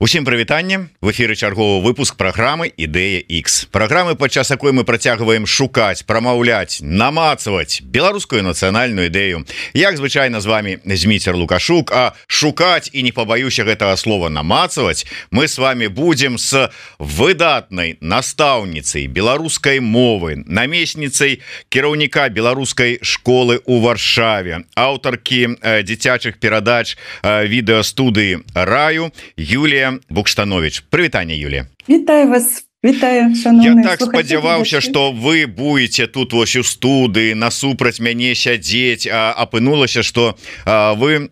Усім прывітанне, в эфіры чарговы выпуск праграмы Ідэя X. Праграмы, падчас якой мы працягваем шукаць, прамаўляць, намацаваць беларускую нацыянальную ідэю. Як звычайна з вами Зміцер Лукашук, а шукаць і не пабаюся гэтага слова намацаваць мы с вами будем с выдатнай настаўніцай беларускай мовы, намесніцай кіраўніка беларускай школы ў Варшаве, аўтаркі дзіцячых перадач відэастудыі Раю Юлія Букштанович. Прывітанне, Юлія. Вітаю вас. Вітаю, я так спадзяваўся, что вы будете тут вось у студыі насупраць мяне сядзець, а апынулася, что вы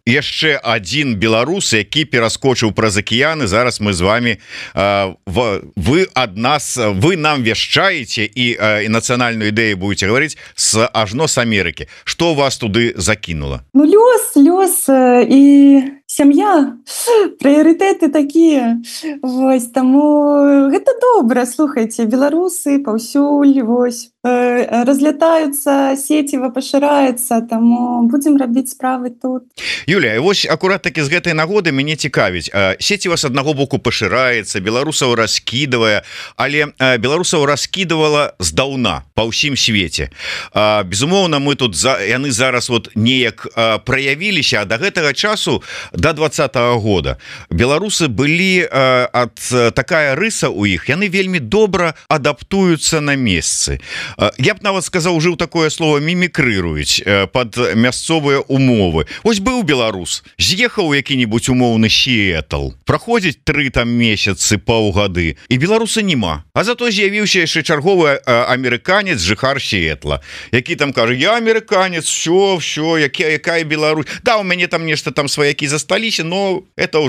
яшчэ один беларус, які пераскочыў праз акіяны. Зараз мы з вами вы ад нас, вы нам вяшчаеце і нацыянальную ідэю будете говорить с ажно с Амерыкі. Что вас туды закінула? Ну лёс і сям'я, прыярытэты такія. Вось таму гэта добра, слухайце, беларусы паўсюль вось разлятаюцца, сеціва пашыраецца, таму будзем рабіць справы тут. Юлія, вось акурат такі з гэтай нагоды мяне цікавіць. Сеціва з аднаго боку пашыраецца, беларусаў раскідвае, але беларусаў раскідвала здаўна па ўсім свеце. Безумоўна, мы тут яны зараз вот неяк праявіліся, а да гэтага часу, до 20-го года беларусы былі такая рыса у іх, яны вельмі добра адаптуюцца на месцы. Я б нават сказаў, ужыў такое слово, мімікрыруюць под мясцовыя умовы. Ось быў беларус, з'ехаў які-нибудь умоўны Сіэтл, праходзіць 3 там месяцы, паўгады, і беларуса няма. А зато з'явіўся яшчэ чарговы амерыканец, жыхар Сіэтла, які там кажа: я амерыканец, все, якая Беларусь. Да, у мяне там нешта там сваякі засталіся, но это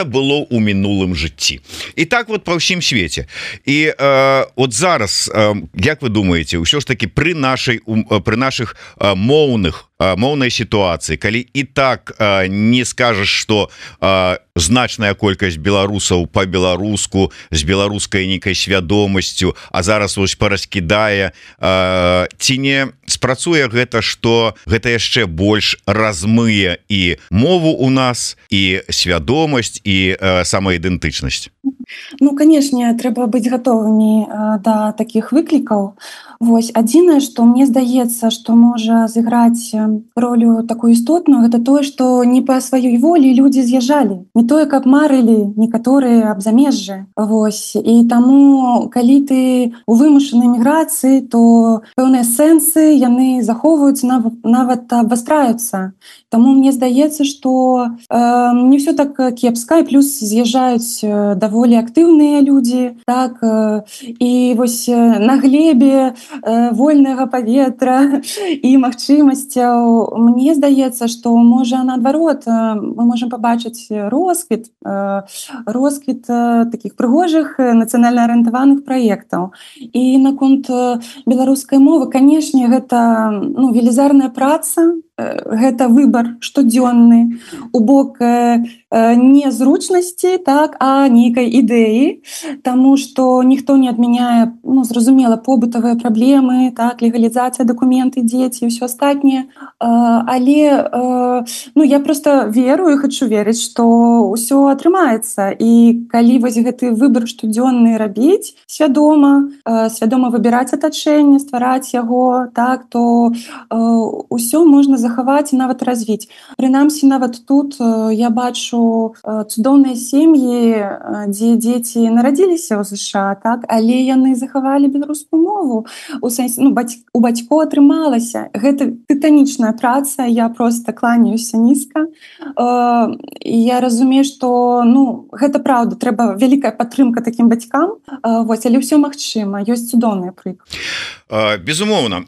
было у мінулым жыцці. І так вот па ўсім свеце. І от зараз, як вы думаеце, ўсё ж таки пры наших моўнай сітуацыі, калі і так не скажаш, что значная колькасць беларусаў по-беларуску з беларускай нейкай свядомасцю, а зараз вось параскідае, ці не спрацуе гэта, что гэта яшчэ больш размые і мову у нас, і свядомасць, і самаідэнтычнасць? Ну, канешне, трэба быць гатовымі да такіх выклікаў. Вось, адзінае, што мне здаецца, што можа зіграць ролю такую істотную, гэта тое, што не па сваёй волі людзі з'язджалі. Не тое, каб марылі некаторыя аб замежжы. Вось, і таму, калі ты у вымушанай міграцыі, то пэўныя сэнсы, яны захоўваюцца, нават абвастраюцца. Таму мне здаецца, што не ўсё так кепска, і плюс з'язджаюць даволі актыўныя людзі, так, і вось на глебе вольнага паветра і магчымасцяў, мне здаецца, што можа наадварот мы можам пабачыць росквіт такіх прыгожых нацыянальна арыентаваных праектаў. І наконт беларускай мовы, канешне, гэта велізарная праца, гэта выбар штодзённы у бок не зручнасці, так, а нейкай ідэі, таму што ніхто не адмяняе, зразумела, побытавыя праблемы, так, легалізацыя, дакументы, дзеці і ўсё астатняе. Але я просто веру і хачу верыць, што ўсё атрымаецца. І калі вось гэты выбар штодзённы рабіць свядома выбіраць атачэнне, ствараць яго, так, то ўсё можна захаваць і нават развіць. Прынамсі, нават тут я бачу цудоўныя сем'і, дзе дзеці нарадзіліся ў ЗША, так, але яны захавалі беларускую мову. У сэнсе, у бацькоў атрымалася. Гэта тытанічная праца, я проста кланяюся нізка. Я разумею, што гэта праўда, трэба вялікая падтрымка такім бацькам, вось, але ўсё магчыма, ёсць цудоўныя прыклады. Безумоўна,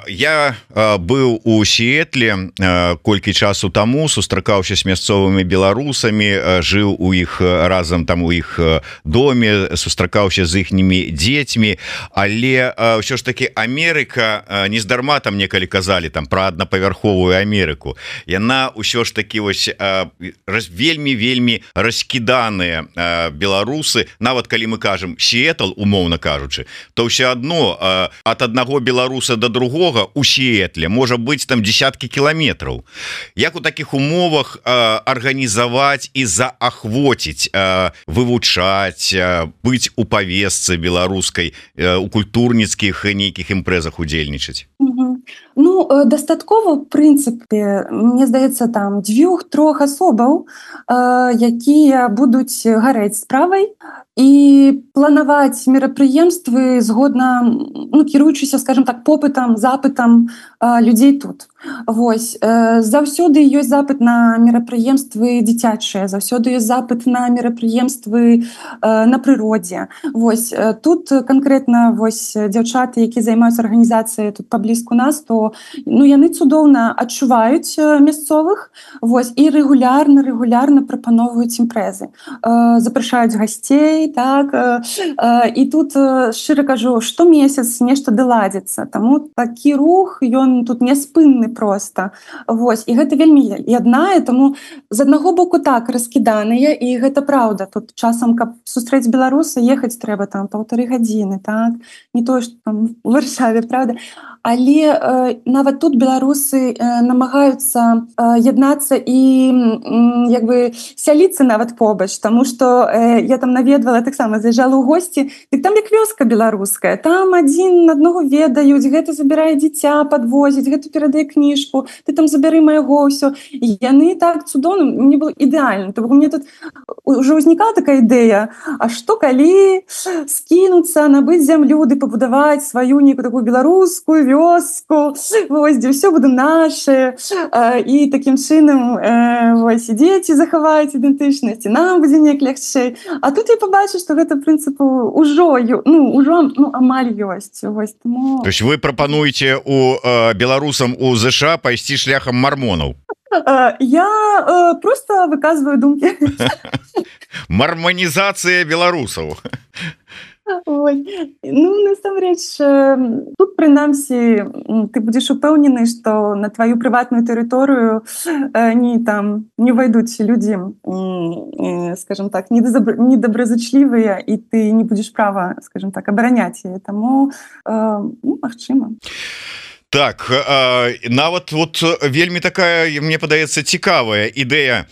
я быў у Сіэтле колькі часу таму, сустракаўся з мясцовымі беларусамі, жыў у іх разам там у іх доме, сустракаўся з іхнімі дзецьмі, але ўсё ж таки Амерыка, нездарма там некалі казалі там пра аднапавярховую Амерыку, яна ўсё ж таки вось вельмі раскіданыя беларусы. Нават калі мы кажам Сіэтл, умоўна кажучы, то ўсё адно ад аднаго беларуса до другога у Сіэтле можа быць там десяткі кіламетраў. Як у такіх умовах арганізаваць і заахвоціць, вывучаць, быць у павесцы беларускай, у культурніцкіх нейкіх імпрэзах удзельнічаць? Ну, дастаткова, в прынцыпе, мне здаецца, там 2-3 асобаў, якія будуць гарэць справай і планаваць мерапрыемствы згодна, ну, кіруючыся, скажем так, попытам, запытам людзей тут. Вось, заўсёды ёсць запыт на мерапрыемствы дзіцячыя, заўсёды ёсць запыт на мерапрыемствы на прыродзе. Вось, тут канкрэтна вось дзяўчаты, якія займаюцца арганізацыяй тут паблізку нас, то ну, яны цудоўна адчуваюць мясцовых, вось, і рэгулярна прапаноўваюць імпрэзы. Запрашаюць гасцей, так, і тут, шчыра кажу, штомесяц нешта даладзіцца, таму такі рух, ён тут няспынны проста. Вось, і гэта вельмі яднае, таму з аднаго боку так раскіданыя, і гэта праўда. Тут часам, каб сустрэць беларуса, ехаць трэба там 1,5 гадзіны, так, не тое, што там у Варшаве, правда? Але нават тут беларусы намагаюцца яднацца і як бы сяліцца нават побач, таму што я там наведвала, таксама заязджала ў госці, дык там як вёска беларуская, там адзін аднаго ведаюць, гэта забірае дзіця, падвозіць, гэта перадае кніжку, ты там забяры майго, ўсё. І яны так цудоўна, мне было ідэальна. То мне тут ўжо ўзнікала такая ідэя, а што калі скінуцца, набыць зямлю ды пабудаваць сваю нейкую такую беларускую вёску, вось, дзе ўсё будзе наше, і такім чынам вось, і дзеці захаваюць ідэнтычнасць, і нам будзе неяк лягчэй. А тут я побачу, што гэта, в прынцыпу, ўжо амаль ёсць. Вось, тому... То есть вы прапануеце у беларусам у ЗША пайсці шляхам мармонаў? Я просто выказваю думкі. Марманізацыя беларусаў. Ой. Ну, насамрэч, тут, прынамсі, ты будзеш упэўнены, што на тваю прыватную тэрыторыю не ўвайдуць людзі, скажем так, недобразычлівыя, і ты не будзеш права, скажем так, абараняць яе. Таму, магчыма. Так, нават вот вельмі такая, мне падаецца, цікавая ідэя.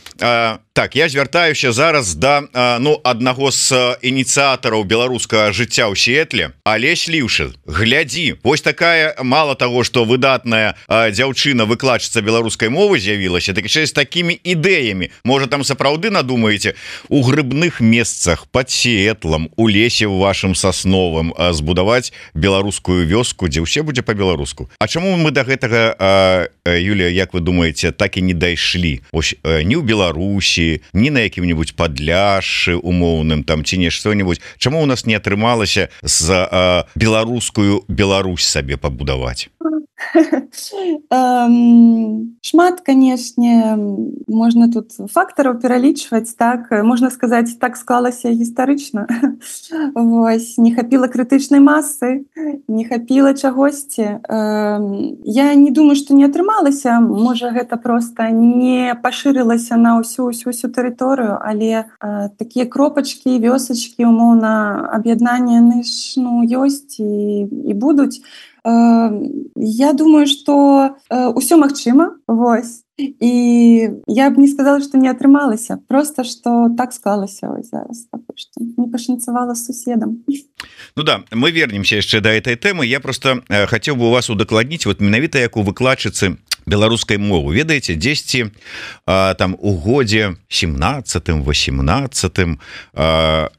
Так, я звяртаюся зараз да аднаго з ініцыятараў беларускага жыцця ў Сіэтле. Алесь Ліўшы, глядзі, вось такая, мала таго, што выдатная дзяўчына, выкладчыца беларускай мовы з'явілася, так яшчэ з такімі ідэямі. Можа, там сапраўды надумаеце у грыбных месцах пад Сіэтлам, у лесе ў вашым сасновым збудаваць беларускую вёску, дзе ўсе будзе па-беларуску. А чаму мы да гэтага, Юлія, як вы думаеце, так і не дайшлі? Ось ні ў Беларусі, ні на якім-небудзь Падляшшы умоўным там ці не што-небудзь. Чаму у нас не атрымалася з беларускую Беларусь сабе пабудаваць? Шмат, канешне, можна тут фактараў пералічваць, так, можна сказаць, так склалася гістарычна. Вось, не хапіла крытычнай масы, не хапіла чагосьці. Я не думаю, што не атрымалася, можа, гэта проста не пашырылася на ўсю тэрыторыю, але такія кропачкі, вёсачкі, умоўна, аб'яднання, яны ж, ёсць і будуць. Я думаю, што ўсё магчыма, вось, і я б не сказала, што не атрымалася, просто што так склалася вось зараз, што не пашанцавала з суседам. Ну да, мы вернемся яшчэ да этой тэмы. Я просто хацеў бы у вас удакладніць, вот менавіта як у выкладчыцы беларускай мовы, ведаеце, дзесьці там у годзе 17-18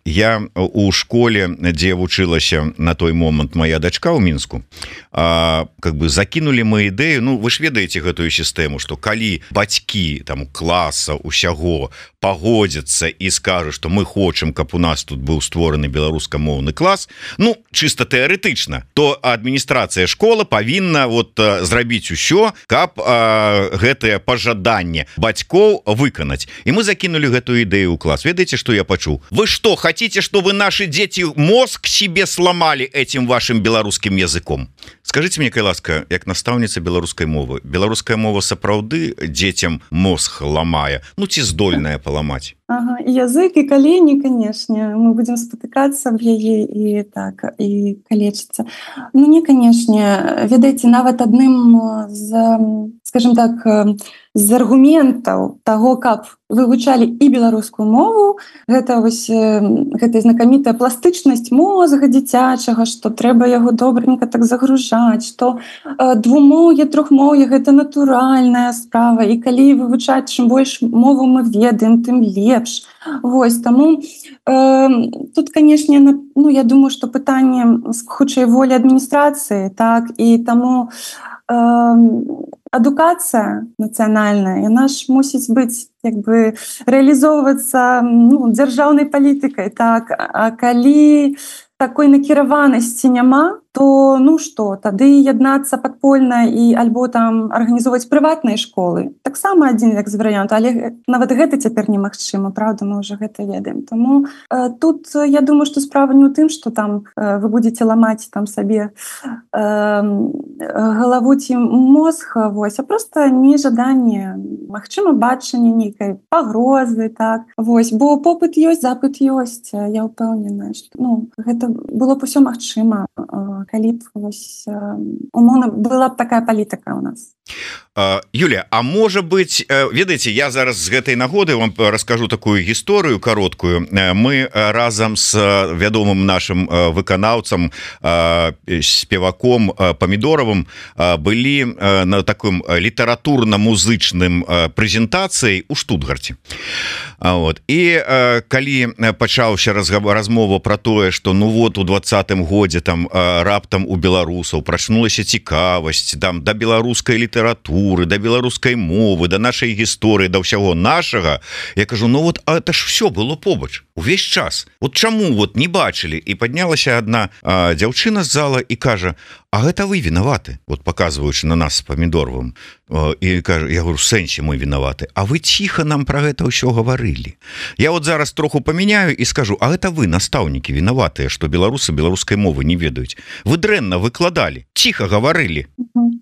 я у школе, дзе вучылася на той момант моя дачка ў Мінску, как бы закінулі мы ідэю, ну вы ж ведаеце гэтую сістэму, што калі бацькі там класа усяго пагодзяцца і скажуць, што мы хочам, каб у нас тут быў створаны беларускамоўны клас, ну чыста тэарэтычна, то адміністрацыя школы павінна вот зрабіць усё, каб гэтае пажаданне бацькоў выканаць. І мы закінулі гэтую ідэю ў клас. Ведаеце, што я пачуў? Вы што, хотите, чтобы наши дети мозг себе сломали этим вашим беларускім языком? Скажите мне, кай ласка, як настаўніца беларускай мовы, беларуская мова сапраўды дзецям мозг ламае, ну ці здольная паламаць? Ага, і язык, і калені, канешне, мы будзем спатыкацца аб яе і так, і калечыцца. Ну не, канешне, ведаеце, нават адным з, скажем так, з аргументаў таго, каб вывучалі і беларускую мову, гэта вось гэтая знакамітая пластычнасць мозга дзіцячага, што трэба яго добренька так загружаць, што двумоўе, трохмоўе гэта натуральная справа, і калі вывучаць, чым больш мову мы ведаем, тым лепш. Вось, таму тут, канешне, ну, я думаю, што пытанне хутчэй волі адміністрацыі, так, і таму адукацыя нацыянальная, яна ж мусіць быць як бы рэалізоўвацца, ну, дзяржаўнай палітыкай, так, а калі такой накіраванасці няма, то ну што, тады яднацца падпольна і альбо там арганізоўваць прыватныя школы. Таксама адзін як з варыянтаў, але нават гэта цяпер немагчыма, правда, мы ўжо гэта ведаем. Таму тут я думаю, што справа не ў тым, што там вы будзеце ламаць там сабе галаву ці мозг, вось, а проста нежаданне, магчыма, бачанне нейкай пагрозы, так. Вось, бо попыт ёсць, запыт ёсць. Я ўпэўнена, што ну, гэта было б усё магчыма, калі б вось, умоўна была б такая палітыка ў нас. Юлія, а можа быць, ведаеце, я зараз з гэтай нагоды вам раскажу такую гісторыю кароткую. Мы разам з вядомым нашым выканаўцам, спеваком Памідоравым былі на такім літаратурна-музычным прэзентацыяй у Штутгарце. Вот. І калі пачаўся размова пра тое, што ну вот у 20-м годзе там раптам у беларусаў прачнулася цікавасць там да беларускай літаратуры, да беларускай мовы, да нашай гісторыі, да ўсяго нашага, я кажу, ну вот это ж все было побач увесь час. Вот чаму вот не бачылі? І паднялася одна дзяўчына з зала і кажа, а гэта вы вінаваты, вот показваючы на нас з Памідоровым, і кажа, я говорю, в сэнсе мы вінаваты, а вы ціха нам про гэта ўсё гаварылі. Я вот зараз троху памяняю і скажу, а гэта вы, настаўнікі, вінаватыя, што беларусы беларускай мовы не ведаюць. Вы дрэнна выкладалі, ціха гаварылі.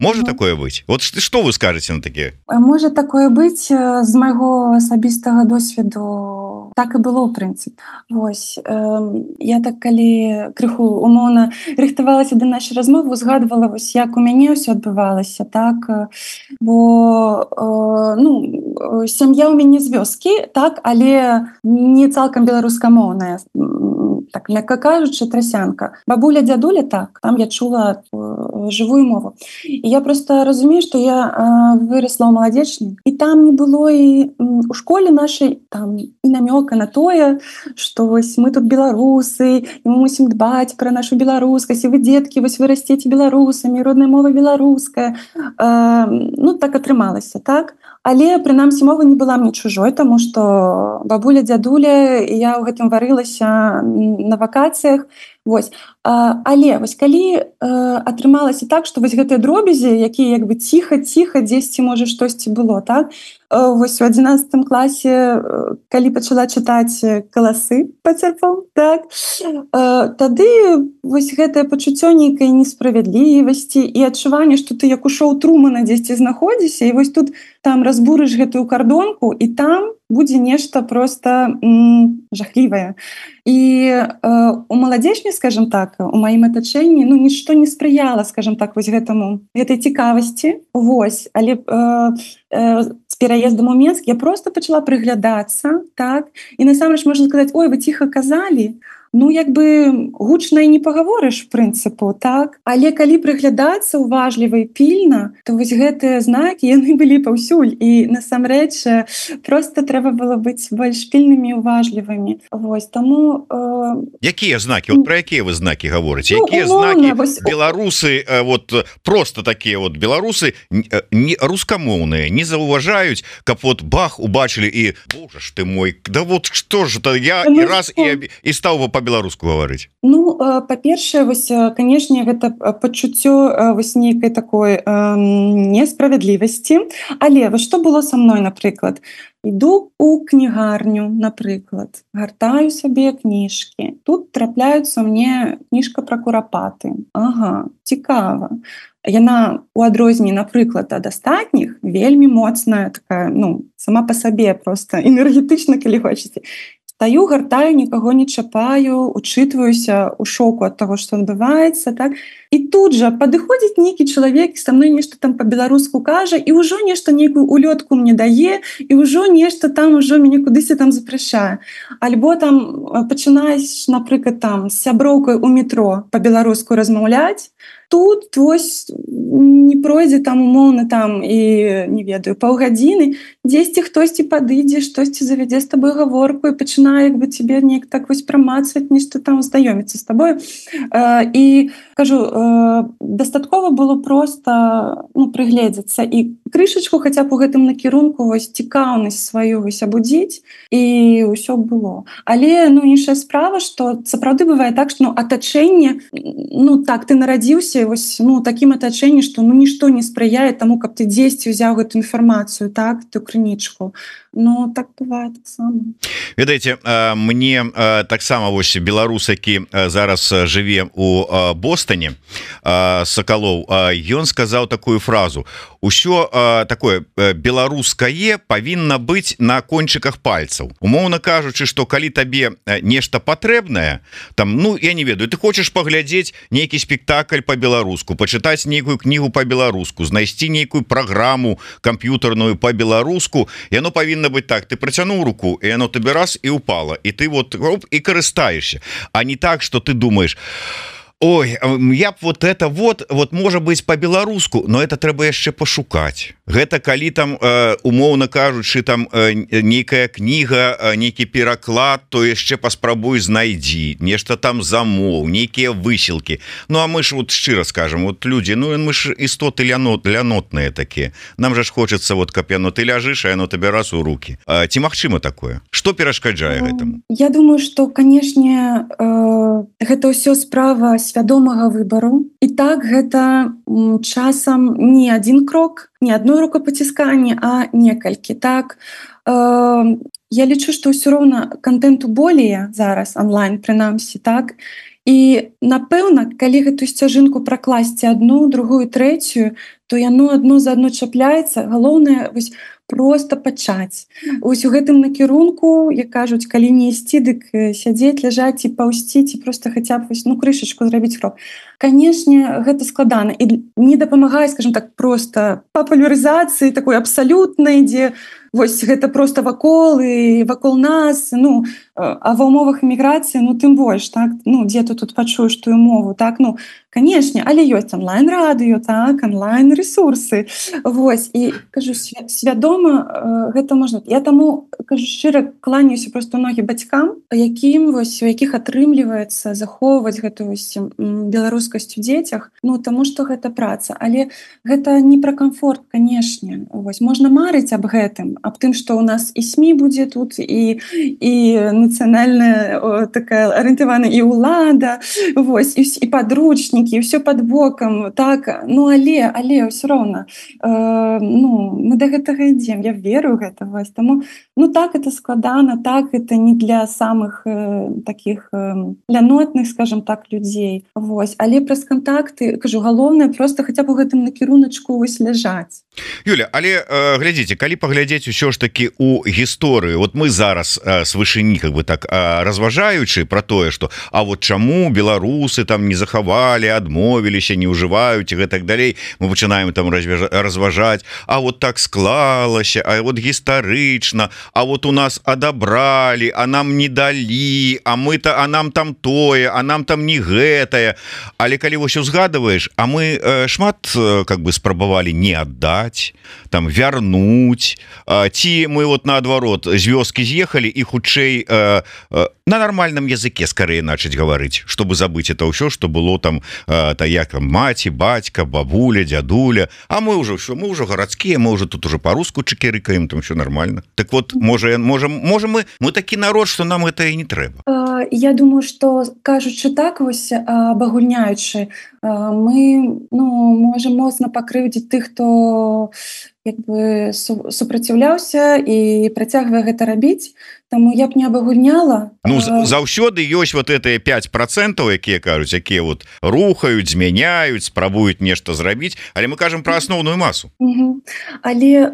Можа такое быць? Вот што вы скажаце на такія? Можа такое быць, з майго асабістага досведу так і было, ў прынцыпе. Вось, я так, калі крыху умоўна рыхтавалася да нашай размовы, узгадвала, вось, як у мяне ўсё адбывалася, так, бо ну, сям'я ў мяне з вёскі, так, але не цалкам беларускамоўная, так, мякка кажучы, трасянка. Бабуля, дзядуля, так, там я чула жывую мову. І я просто разумею, што я вырасла ў маладзечні, і там не было і у школе нашай там і намёка на тое, што вось мы тут беларусы, і мы мусім дбаць пра нашу беларускасць, і вы, дзеткі, вось вы расцеце беларусамі, родная мова беларуская. Ну, так атрымалася, так? Але, прынамсі, мова не была мне чужой, таму што бабуля, дзядуля, і я ў гэтым варылася на вакацыях. Вось. Але вось калі атрымалася так, што вось гэтыя дробязі, якія як бы ціха-ціха дзесьці, можа, штосьці было, так? Вось у 11 класе, калі пачала чытаць каласы пацярпом, так? Тады вось гэтае пачуццё нейкай несправядлівасці і адчуванне, што ты як у шоу Трумана дзесьці знаходзіся, і вось тут там разбурыш гэтую кардонку, і там будзе нешта проста жахлівае. І у маладзечні, скажем так, у маім атачэнні, ну, нішто не спрыяла, скажем так, вось гэтай цікавасці. Вось, але з пераездам у Менск я проста пачала прыглядацца, так, і насамрэч можна сказаць, ой, вы ціха казалі, ну, як бы гучна і не пагаворыш, в прынцыпу, так? Але калі прыглядацца уважліва і пільна, то вось гэтыя знакі, яны былі паўсюль. І насамрэч проста трэба было быць больш пільнымі і уважлівымі. Вось, таму... Якія знакі? Вот пра якія вы знакі гаворыце? Якія знакі беларусы, вот просто такія вот беларусы, рускамоўныя, не заўважаюць, каб вот бах, убачылі і, боже ж ты мой, да вот што ж это, я і раз і стаў бы по-беларуску гаварыць? Ну, па-першае, вось, канешне, гэта пачуццё вось нейкай такой несправядлівасці. Але вось што было са мной, напрыклад? Іду у кнігарню, напрыклад, гартаю сабе кніжкі. Тут трапляюцца мне кніжка пра курапаты. Ага, цікава. Яна у адрозненні, напрыклад, ад астатніх вельмі моцная, такая, ну, сама па сабе проста энергетычна, калі хочаце. Стаю, гартаю, нікаго не чапаю, учытваюся ў шоку ад таго, што адбываецца, так? І тут жа падыходзіць нейкі чалавек, са мной нешта там па-беларуску кажа, і ўжо нешта нейкую улётку мне дае, і ўжо нешта там ўжо мяне кудысьці там запрашае. Альбо там пачынаеш, напрыклад, там з сяброўкай у метро па-беларуску размаўляць, тут вось не пройдзе там умоўна там і не ведаю паўгадзіны, дзесьці хтосьці падыдзе, штосьці завядзе з табой гаворку і пачынае як бы цябе неяк так вось прамацваць, нешта там знаёміцца з табою. І кажу, дастаткова было проста, ну, прыгледзецца і крышачку хаця б у гэтым накірунку вось цікаўнасць сваю вось абудзіць, і ўсё было. Але, ну, іншая справа, што сапраўды бывае так, што, ну, атачэнне, ну, так, ты нарадзіўся вось, ну, такім атачэнні, што, ну, нішто не спрыяе таму, каб ты дзесьці ўзяў гэту інфармацыю, так, ту крынічку. Ну, так бывае таксама. Ведаеце, мне таксама вось беларус, які зараз жыве у Бостане, Сакалоў, ён сказаў такую фразу: усё такое беларускае павінна быць на кончыках пальцаў. Умоўна кажучы, што калі табе нешта патрэбнае, там, ну, я не ведаю, ты хочаш паглядзець нейкі спектакль па-беларуску, пачытаць нейкую кнігу па-беларуску, знайсці нейкую праграму камп'ютарную па-беларуску, яно павінна быць так: ты працянуў руку, і яно табе раз і упала, і ты вот і карыстаешся, а не так, што ты думаеш: ой, я б вот это вот можа быць по-беларуску, но это трэба яшчэ пашукаць. Гэта калі там, умоўна кажучы, там нейкая кніга, нейкі пераклад, то яшчэ паспрабуй знайдзі, нешта там замоў, нейкія высілкі. Ну, а мы ж вот шчыра скажем, вот людзі, ну, мы ж істоты лянотныя такія. Нам жа ж хочацца, вот, каб яно ты ляжыш, а яно табе раз у рукі. Ці магчыма такое? Што перашкаджае гэтаму? Я думаю, што, канешне, гэта ўсё справа свядомага выбару. І так гэта часам не адзін крок, не одно рукапацісканне, а некалькі. Так, я лічу, што ўсё роўна кантэнту более зараз онлайн, прынамсі, так. І, напэўна, калі гэту сцяжынку пракласці адну, другую, трэцюю, то яно адно за адно чапляецца. Галоўнае вось просто пачаць. Ось у гэтым накірунку, як кажуць, калі не ісці, дык сядзець, ляжаць і паўзці, ці проста хаця б вось, ну, крышачку зрабіць крок. Канешне, гэта складана і не дапамагае, скажем так, просто папулярызацыі такой абсалютнай, дзе вось гэта просто вакол і вакол нас, ну, а ва ўмовах эміграцыі, ну, тым больш, так, ну, дзе ты тут пачуеш тую мову, так, ну, канешне, але ёсць онлайн-радыё, так, онлайн-ресурсы, вось, і, кажу, свядома гэта можна. Я таму, кажу, шчыра кланяюся просто многім бацькам, якім, вось, у якіх атрымліваецца захоўваць гэту вось беларускасць у дзецях, ну, таму што гэта праца, але гэта не пра камфорт, канешне, вось, можна марыць аб гэтым, аб тым, што ў нас і СМІ будзе тут, і нацыянальная такая арыентавана і ўлада, вось, і падручнікі, і ўсё пад бокам, так, ну, але ўсё роўна, ну, мы да гэтага ідзем, я веру ў гэта, вось, таму, ну, так, это складана, так, это не для самых таких лянотных, скажем так, людзей, вось, але праз кантакты, кажу, галоўнае просто хаця б у гэтым накіруначку вось ляжаць. Юля, але глядзіце, калі паглядзець усё ж таки у гісторыю, вот мы зараз с вышыні, как бы так, разважаючы про тое, что а вот чаму беларусы там не захавалі, адмовіліся, не ўжываюць і гэтак далей, мы пачынаем там разважаць, а вот так склалася, а вот гістарычна, а вот у нас адабралі, а нам не далі, а нам там тое, а нам там не гэтае. Але калі вось узгадываеш, а мы шмат как бы спрабавалі не аддаць, там вярнуць, ці мы вот наадварот з вёскі з'ехалі і хутчэй на нармальным языке скорее начать гаварыць, чтобы забыть это ўсё, что было там як маці, бацька, бабуля, дзядуля, а мы уже все, мы уже гарадскія, мы уже тут уже по-руску чекерыкаем, там все нормально. Так вот, можем мы такі народ, что нам это і не трэба. Я думаю, что, кажучы так, вось абагульняючы, мы, ну, можем моцна пакрыўдзіць тых, хто як бы супраціўляўся і працягвае гэта рабіць, таму я б не абагульняла. Ну заўсёды ёсць вот гэтыя 5%, якія кажуць, якія вот рухаюць, змяняюць, спрабуюць нешта зрабіць, але мы кажам пра асноўную масу. Але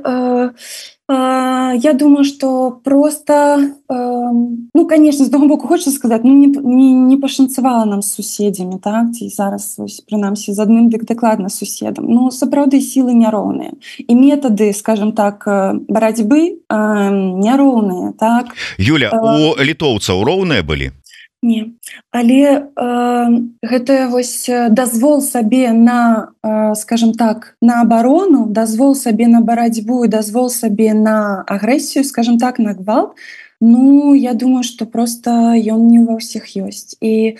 я думаю, что просто, ну, конечно, з одного боку хочется сказать, ну, не пашанцавала нам з суседзямі, так, ці зараз, прынамсі, з адным дакладна суседам. Ну, сапраўды сілы няроўныя. І метады, скажем так, барацьбы няроўныя, так. Юля, у літоўцаў роўныя былі? Не, але гэта вось дазвол сабе на, скажем так, на абарону, дазвол сабе на барацьбу і дазвол сабе на агрэсію, скажем так, на гвалт, ну, я думаю, што просто ён не ва ўсіх ёсць. І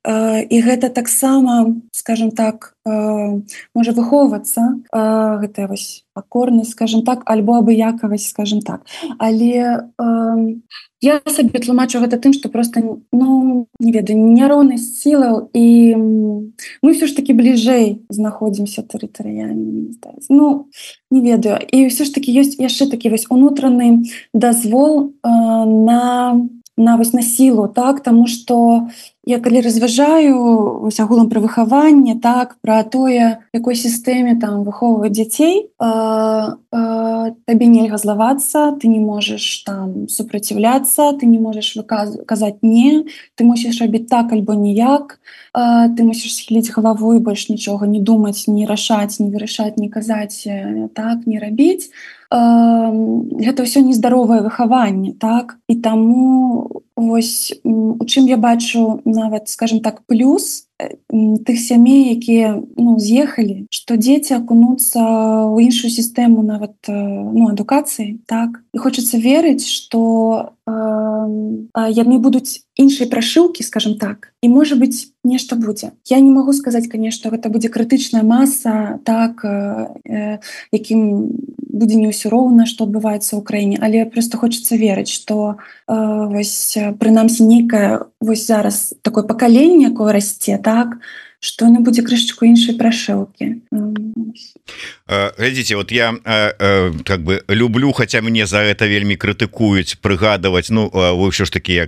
гэта таксама, скажем так, можа выхоўвацца, гэтая вось пакорнасць, скажем так, альбо абыякавасць, скажем так. Але я сабе тлумачу гэта тым, што просто, ну, не ведаю, няроўнасць сілаў, і мы ўсё ж такі бліжэй знаходзімся тэрытарыяльна. Ну, не ведаю. І ўсё ж такі ёсць яшчэ такі вось унутраны дазвол на сілу, так, таму што я калі разважаю вось агулам пра выхаванне, так, пра тое, якой сістэме там выхоўваюць дзяцей, табе нельга злавацца, ты не можаш там супраціўляцца, ты не можаш казаць не, ты мусіш рабіць так альбо ніяк, ты мусіш схіліць галаву і больш нічога не думаць, не рашаць, не вырашаць, не казаць, так, не рабіць. Гэта ўсё нездаровае выхаванне, так, і таму вось у чым я бачу нават, скажем так, плюс тых сямей, якія, ну, з'ехалі, што дзеці акунуцца ў іншую сістэму нават, ну, адукацыі, так, і хочацца верыць, што яны будуць іншай прашыўкі, скажем так, і можа быць нешта будзе. Я не магу сказаць, конечно, гэта будзе крытычная маса, так, якім будзе не ўсё роўна, што адбываецца ў краіне, але просто хочацца верыць, што вось прынамсі нейкае вось зараз такое пакаленне, якое расце, так, што яно будзе крышачку іншай прашыўкі. Глядзіце, вот я как бы люблю, хаця мне за гэта вельмі крытыкуюць, прыгадваць, ну, вы ўсё ж таки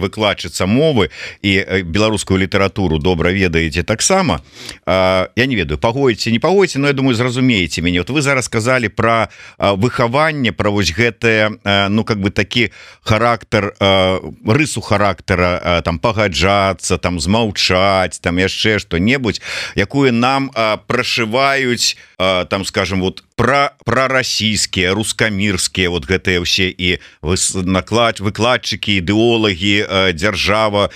выкладчыца мовы і беларускую літаратуру добра ведаеце таксама. Я не ведаю, пагодзіце, не пагодзіце, но я думаю, зразумееце мяне. Вот вы зараз сказалі пра выхаванне, пра вось гэтае, ну, как бы такі характар, рысу характара, там, пагаджацца, там, змаўчаць, там, яшчэ што-небудзь, якую нам прашываюць, там, скажем, вот прарасійскія, рускамірскія, вот гэтыя ўсе і выкладчыкі, ідэолагі, дзяржава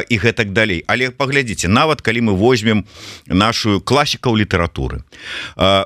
і гэтак далей. Але паглядзіце, нават калі мы возьмем нашу класікаў літаратуры,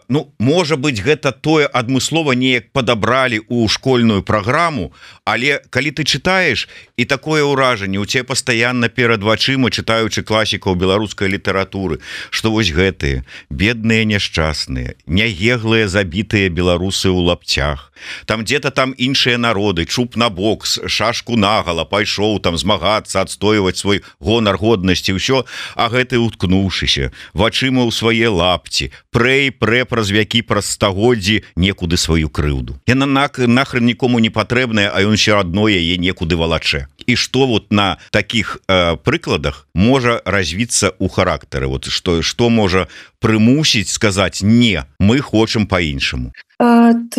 ну, можа быць, гэта тое адмыслова неяк падабралі ў школьную праграму, але калі ты чытаеш, і такое ўражанне у цябе пастаянна перад вачыма, чытаючы класікаў беларускай літаратуры, што вось гэтыя бедныя няшчасныя, нягеглыя забітыя беларусы ў лапцях, там где-то там іншыя народы, чуб на бок, шашку нагала, пайшоў там змагацца, адстойваць свой гонар, годнасці, ўсё, а гэты, уткнуўшыся вачыма ў свае лапці, прэ праз вякі, праз стагоддзі некуды сваю крыўду. Яна нахрен нікому не патрэбная, а ён ще адно яе некуды валачэ. І што вот на такіх прыкладах можа развіцца ў характары? Вот што можа прымусіць сказаць не, мы хочам по-іншаму?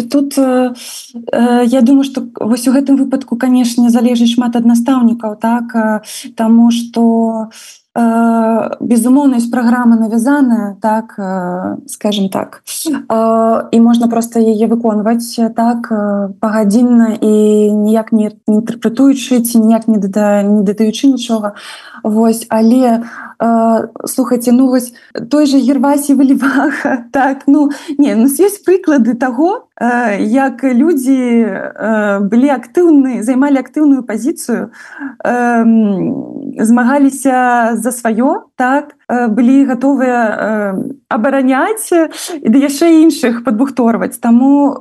Тут я думаю, што вось у гэтым выпадку, канешне, залежыць шмат ад настаўнікаў, так, таму што безумоўна, ёсць праграма навязаная, так, скажем так, і можна проста яе выконваць, так, пагадзінна і ніяк не інтэрпрэтуючы ці ніяк не дадаючы нічога. Вось, але слухайце, ну вось той же Гервасій Валівага, так, ну не, у нас ёсць прыклады таго, як людзі былі актыўны, займалі актыўную пазіцыю, змагаліся за сваё, так, былі гатовыя абараняць і да яшчэ іншых падбухторваць. Таму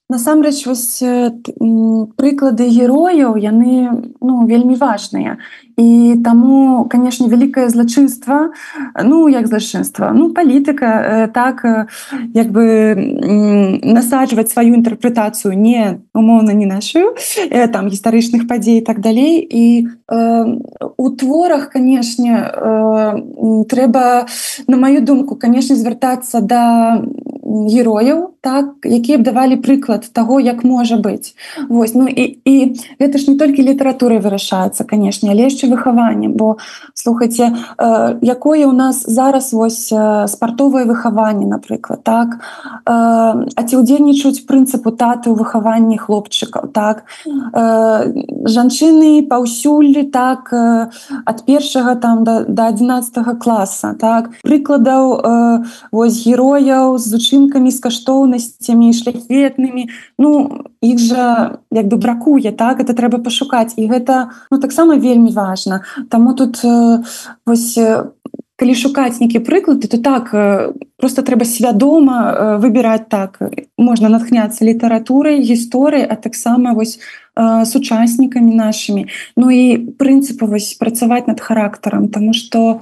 насамрэч вось прыклады герояў яны вельмі важныя і таму канешне вялікае злачынства як злачынства палітыка так як бы насаджваць сваю інтэрпрэтацыю не умоўна не нашу там гістарычных падзей і так далей і у творах канешне трэба на маю думку канешне звяртацца да герояў так якія б давалі прыклад таго як можа быць вось і гэта ж не толькі літаратурай вырашаецца канешне але яшчэ выхаваннем бо слухайце якое у нас зараз вось спартовае выхаванне напрыклад так а ці ўдзельнічаюць прынцыпу таты ў выхаванні хлопчыкаў так жанчыны паўсюль так ад першага там да 11 класа так прыкладаў вось герояў з учынкамі з каштоўнасцямі шляхетнымі іх жа як бы бракуе так это трэба пашукаць і гэта таксама вельмі важна таму тут вось калі шукаць нейкія прыклады то так просто трэба свядома выбіраць так можна натхняцца літаратурай гісторыяй а таксама вось сучаснікамі нашымі і прынцыпы вось працаваць над характарам тому что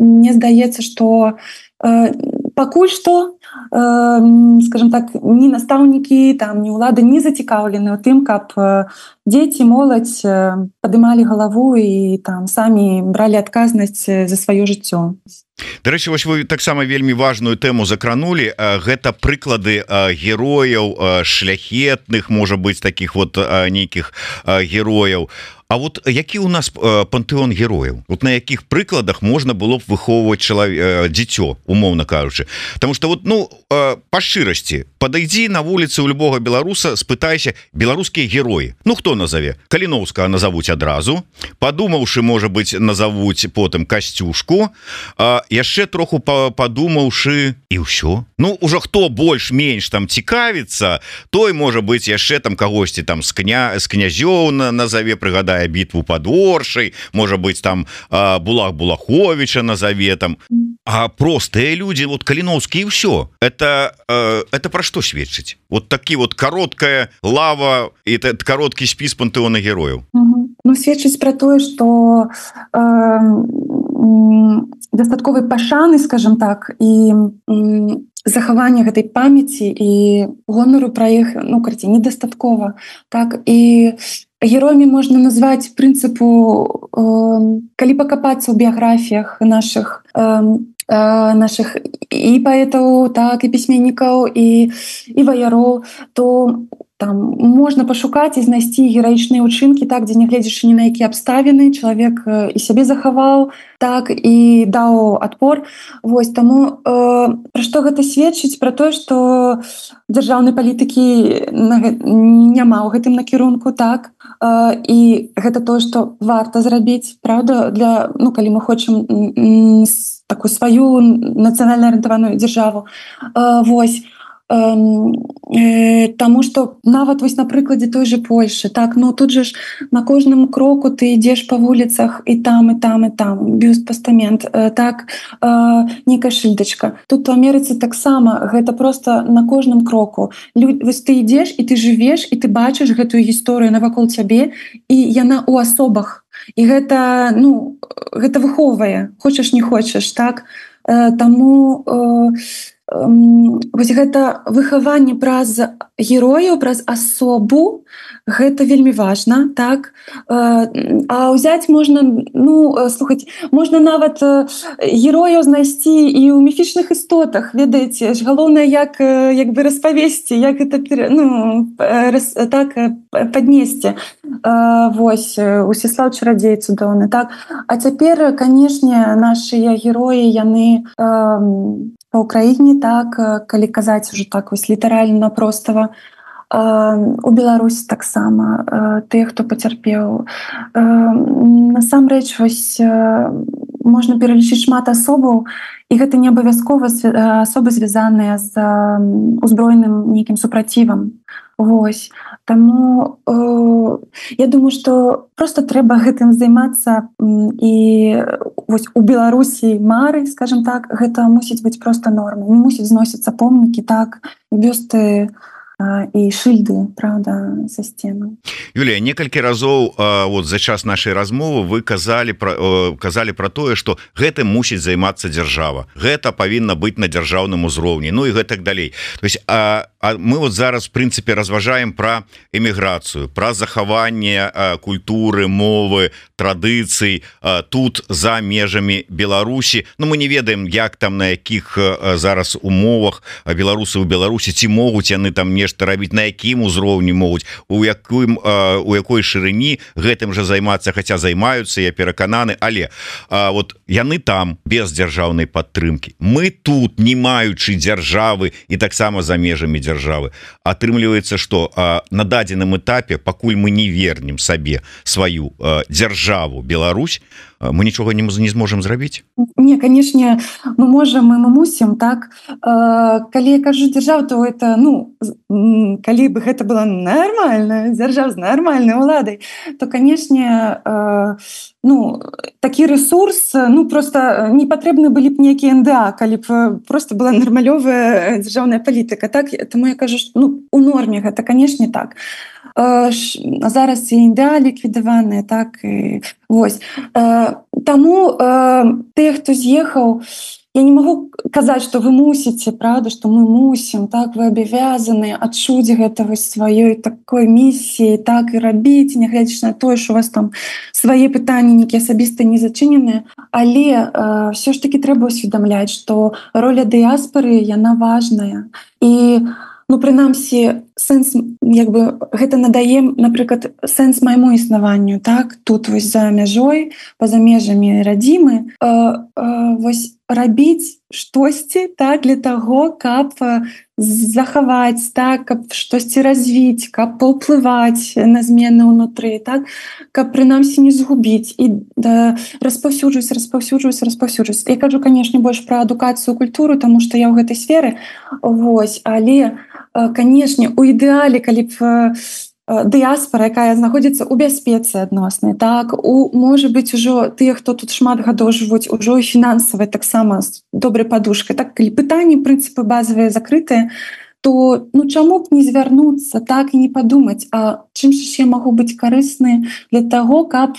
мне здаецца что пакуль што скажем так ні настаўнікі там ні ўлады не зацікаўлены у тым каб дзеці моладзь падымалі галаву і там самі бралі адказнасць за сваё жыццё. Дарэчы, вось вы таксама вельмі важную тэму закранули, гэта прыклады герояў шляхетных, можа быць таких вот нейкіх герояў. А вот які у нас пантэон герояў? Вот на якіх прыкладах можна было б выхоўваць дзіцё, умоўна кажучы? Потому что вот па шчырасці падыдзі на вуліцы у любога беларуса, спытайся беларускія героі. Хто назове? Каліноўскага назовуць адразу, падумаўшы, можа быць, назовуць потым Касцюшку, яшчэ троху падумаўшы і ўсё. Ужо хто больш-менш там цікавіцца, той можа быць яшчэ там кагосьці там з князёў назове, прыгадае бітву под Оршай, можа быць там Булах Булаховича назове там. А простыя людзі, вот Каліноўскі і ўсё. Это пра што сведчыць? Вот такі вот кароткая лава і кароткі спіс пантэона герояў. Сведчыць пра тое, што дастатковай пашаны, скажем так, і захавання гэтай памяці і гонару пра іх, недастаткова. Так, і героямі можна назваць прынцыпу, калі пакапацца ў біяграфіях нашых і паэтаў, так, і пісьменнікаў, і ваяроў, то там можна пашукаць і знайсці гераічныя ўчынкі, так, дзе нягледзячы ні на якія абставіны, чалавек і сябе захаваў, так, і даў адпор. Вось, таму пра што гэта сведчыць? Пра тое, што дзяржаўнай палітыкі няма ў гэтым накірунку, так, і гэта тое, што варта зрабіць, правда, для, калі мы хочам такую сваю нацыянальна арыентаваную дзяржаву. Вось. Таму што нават вось на прыкладзе той же Польшы, так, тут же ж на кожным кроку ты ідзеш па вуліцах і там, бюст, пастамент, так, нейкая шыльдачка. Тут у Амерыцы таксама гэта просто на кожным кроку. Вось ты ідзеш і ты жывеш, і ты бачыш гэтую гісторыю навакол цябе, і яна ў асобах. І гэта, гэта выхоўвае, хочаш не хочаш, так. Таму вось гэта выхаванне праз герояў, праз асобу, гэта вельмі важна, так. А ўзяць можна, слухаць, можна нават герояў знайсці і ў міфічных істотах, ведаеце, галоўнае як бы распавесці, як гэта так паднесці. Вось, Усіслаў Чарадзей цудоўны, так. А цяпер, канешне, нашыя героі, яны па ўкраіне, так, калі казаць ужо так вось літаральна простава, у Беларусі таксама тыя, хто пацярпеў. Насамрэч, вось можна пералічыць шмат асобаў, і гэта не абавязкова асобы звязаныя з узброеным нейкім супрацівам. Вось. Таму я думаю, што просто трэба гэтым займацца, і вось у Беларусі мары, скажем так, гэта мусіць быць просто нормай. Не мусіць зносіцца помнікі, так, бюсты і шыльды, правда, са сценаў. Юлія, некалькі разоў вот за час нашай размовы вы казалі пра тое, што гэтым мусіць займацца дзяржава. Гэта павінна быць на дзяржаўным узроўні, ну і гэтак далей. То есть мы вот зараз в прынцыпе разважаем пра эміграцыю, пра захаванне культуры, мовы, традыцый тут за межамі Беларусі. Ну мы не ведаем, як там, на якіх зараз умовах беларусы ў Беларусі, ці могуць яны там нешта рабіць, на якім узроўні могуць, у якой шырыні гэтым жа займацца, хаця займаюцца, я перакананы, але вот яны там без дзяржаўнай падтрымкі. Мы тут, не маючы дзяржавы і таксама за межамі дзяржавы. Атрымліваецца, што на дадзеным этапе, пакуль мы не вернем сабе сваю дзяржаву Беларусь, мы нічога не зможам зрабіць? Не, канешне, мы можам і мы мусім, так. Калі я кажу дзяржава, то это, ну, калі бы гэта была нармальная дзяржава з нармальнай уладай, то, канешне, ну, такі ресурс, ну, просто не патрэбны былі б нейкія НДА, калі б просто была нармалёвая дзяржаўная палітыка, так. Таму я кажу, што, ну, у норме гэта, канешне, так. Зараз і НДА ліквідаваныя, так, і вось. Таму тыя, хто з'ехаў, я не магу казаць, што вы мусіце, правда, што мы мусім, так, вы абавязаны адчуць гэта вось сваёй такой місіі, так, і рабіць, нягледзячы на тое, што у вас там свае пытанні нейкія асабістыя не зачыненыя, але ўсё ж такі трэба усведамляць, што роля дыяспары, яна важная. І ну, прынамсі, сэнс, як бы, гэта надае, напрыклад, сэнс майму існаванню, так, тут вось за мяжой, па-за межамі радзімы, вось рабіць штосьці, так, для таго, каб захаваць, так, каб штосьці развіць, каб паўплываць на змены ўнутры, так, каб прынамсі не згубіць і распаўсюджваць. Я кажу, канешне, больш пра адукацыю, культуру, таму што я ў гэтай сферы, вось, але канешне, у ідэале, калі б дыяспара, якая знаходзіцца ў бяспецы адноснай, так, можа быць, ужо тыя, хто тут шмат гадоў жывуць, ужо і фінансавай таксама з добрай падушкай, так, калі пытанні, прынцыпы базавыя закрытыя, то, ну, чаму б не звярнуцца, так, і не падумаць, а чым ж я магу быць карысны для таго, каб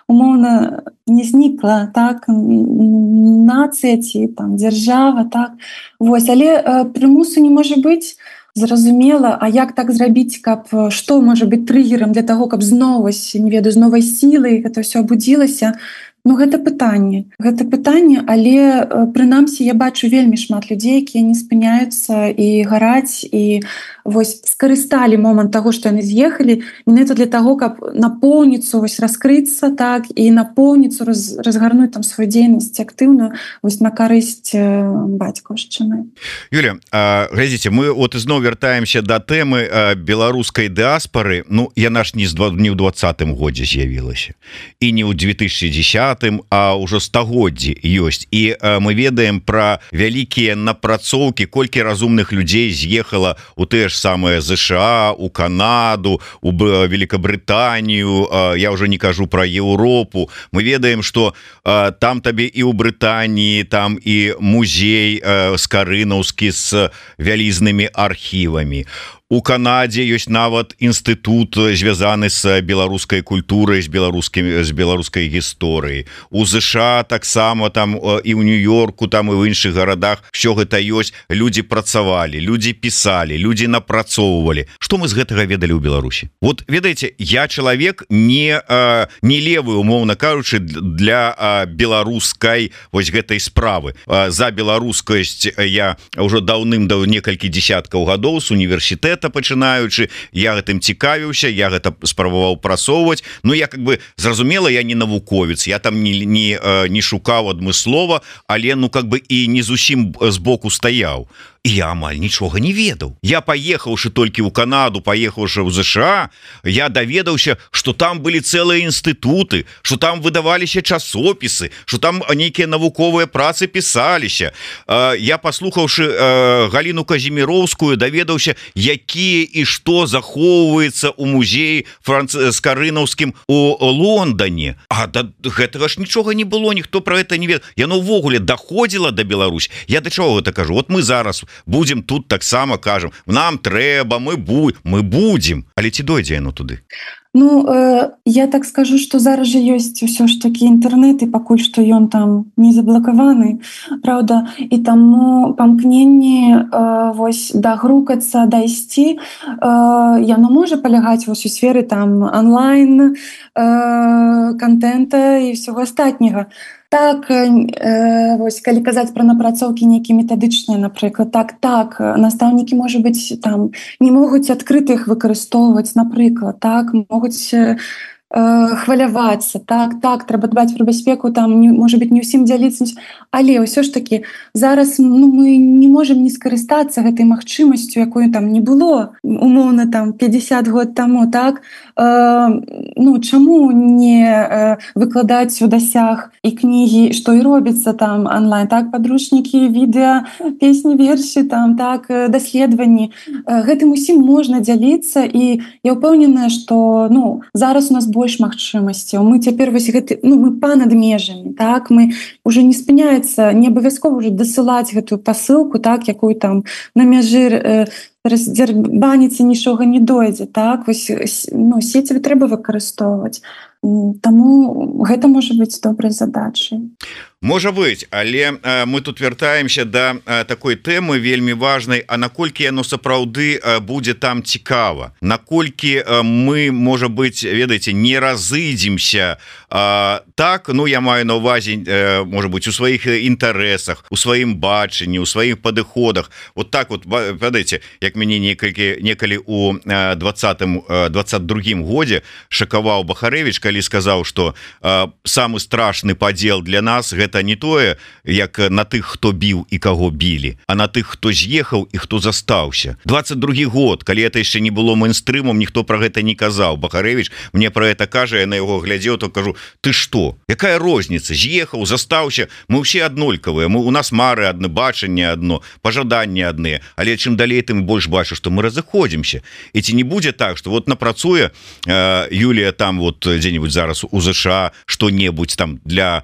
умоўна не знікла, так, нацыя ці там дзяржава, так, вось, але прымусу не можа быць. Зразумела, а як так зрабіць, каб што можа быць трыгерам для таго, каб зноў, не ведаю, з новай сілай гэта ўсё абудзілася. Ну, гэта пытанне, але прынамсі я бачу вельмі шмат людзей, якія не спыняюцца і гараць, і вось скарысталі момант таго, што яны з'ехалі, менавіта для таго, каб напоўніцу вось раскрыцца, так, і напоўніцу разгарнуць там сваю дзейнасць актыўную вось на карысць бацькаўшчыны. Юля, глядзіце, мы вот ізноў вяртаемся да тэмы беларускай дыаспары. Ну, яна ж не ў 20-м годзе з'явілася, і не ў 2010, а ўжо стагоддзі ёсць, і мы ведаем пра вялікія напрацоўкі, колькі разумных людзей з'ехала у тыя ж самыя ЗША, у Канаду, у Великабрытанію, я ўжо не кажу пра Еўропу. Мы ведаем, што там табе і ў Брытаніі, там і музей скарынаўскі з вялізнымі архівамі. У Канадзе ёсць нават інстытут, звязаны з беларускай культурай, з беларускай гісторыяй. У ЗША таксама, там і ў Нью-Йорку, там і ў іншых гарадах все гэта ёсць. Людзі працавалі, людзі пісалі, людзі напрацоўвалі. Што мы з гэтага ведалі ў Беларусі? Вот, ведаеце, я чалавек не левы, умоўна кажучы, для беларускай вось гэтай справы. За беларускасць я ўжо некалькі дзесяткаў гадоў з універсітэта пачынаючы, я гэтым цікавіўся, я гэта спрабаваў прасоўваць. Ну, я как бы, зразумела, я не навуковец, я там не шукаў адмыслова, але, ну, как бы і не зусім збоку стаяў. і я амаль нічога не ведаў. Я паехаўшы толькі ў Канаду, паехаўшы ў ЗША, я даведаўся, што там былі цэлыя інстытуты, што там выдаваліся часопісы, што там нейкія навуковыя працы пісаліся. Я, паслухаўшы Галіну Казіміроўскую, даведаўся, якія і што захоўваецца ў музеі скарынаўскім у Лондоне. А да гэтага ж нічога не было, ніхто про гэта не ведаў. Яно ўвогуле даходзіла да Беларусь. Я да чаго гэта кажу? Вот мы зараз будзем тут таксама кажам, нам трэба, мы будзем, але ці дойдзе яно туды? Ну, я так скажу, што зараз жа ёсць усё ж такі інтэрнэт, і пакуль што ён там не заблакаваны, правда, і таму памкненне вось дагрукацца, дайсці, яно можа палягаць вось у сферы там онлайн контента і ўсяго астатняга. Так, вось, калі казаць пра напрацоўкі нейкія метадычныя, напрыклад, так, настаўнікі, можа быць, там не могуць адкрыта іх выкарыстоўваць, напрыклад, так, могуць хвалявацца, так, трэба дбаць пра бяспеку, там, можа быць, не ўсім дзяліцца, але ўсё ж такі зараз мы не можам не скарыстацца гэтай магчымасцю, якой там не было, умоўна, там, 50 год таму, так, чаму не выкладаць у дасяг і кнігі, што і робіцца там онлайн, так, падручнікі, відэа, песні, вершы, там, так, даследаванні. Гэтым усім можна дзяліцца, і я ўпэўненая, што, зараз у нас больш магчымасцяў. Мы цяпер вось гэты, мы па-над межамі, так, мы уже не спыняецца, не абавязкова ўжо дасылаць гэтую пасылку, так, якую там на мяжы раздзярбаніцца нічога не дойдзе, так, вось, сецівы трэба выкарыстоўваць. Таму гэта можа быць добрай задачай. Можа быць, але мы тут вяртаемся да такой тэмы вельмі важнай, а наколькі яно сапраўды будзе там цікава, наколькі мы, можа быць, ведаеце, не разыдземся так, я маю на ўвазе, можа быць, у сваіх інтарэсах, у сваім бачанні, у сваіх падыходах. Вот так вот, ведаеце, як мяне некалі у 22-м годзе шакаваў Бахарэвіч, калі сказаў, што самы страшны падзел для нас гэта не тое, як на тых, хто біў і каго білі, а на тых, хто з'ехаў і хто застаўся. 22 год, калі это яшчэ не было мейнстрымом, ніхто пра гэта не казаў. Бахарэвіч мне пра гэта кажа, я на яго глядзеў, то кажу, ты што? Якая розніца? З'ехаў, застаўся, мы ўсе аднолькавыя, у нас мары адны, бачанне адно, пажаданні адныя, але чым далей, тым больш бачу, што мы разыходзімся. І ці не будзе так, што вот напрацуе Юлія там вот дзе-нибудь зараз у ЗША што-небудзь там для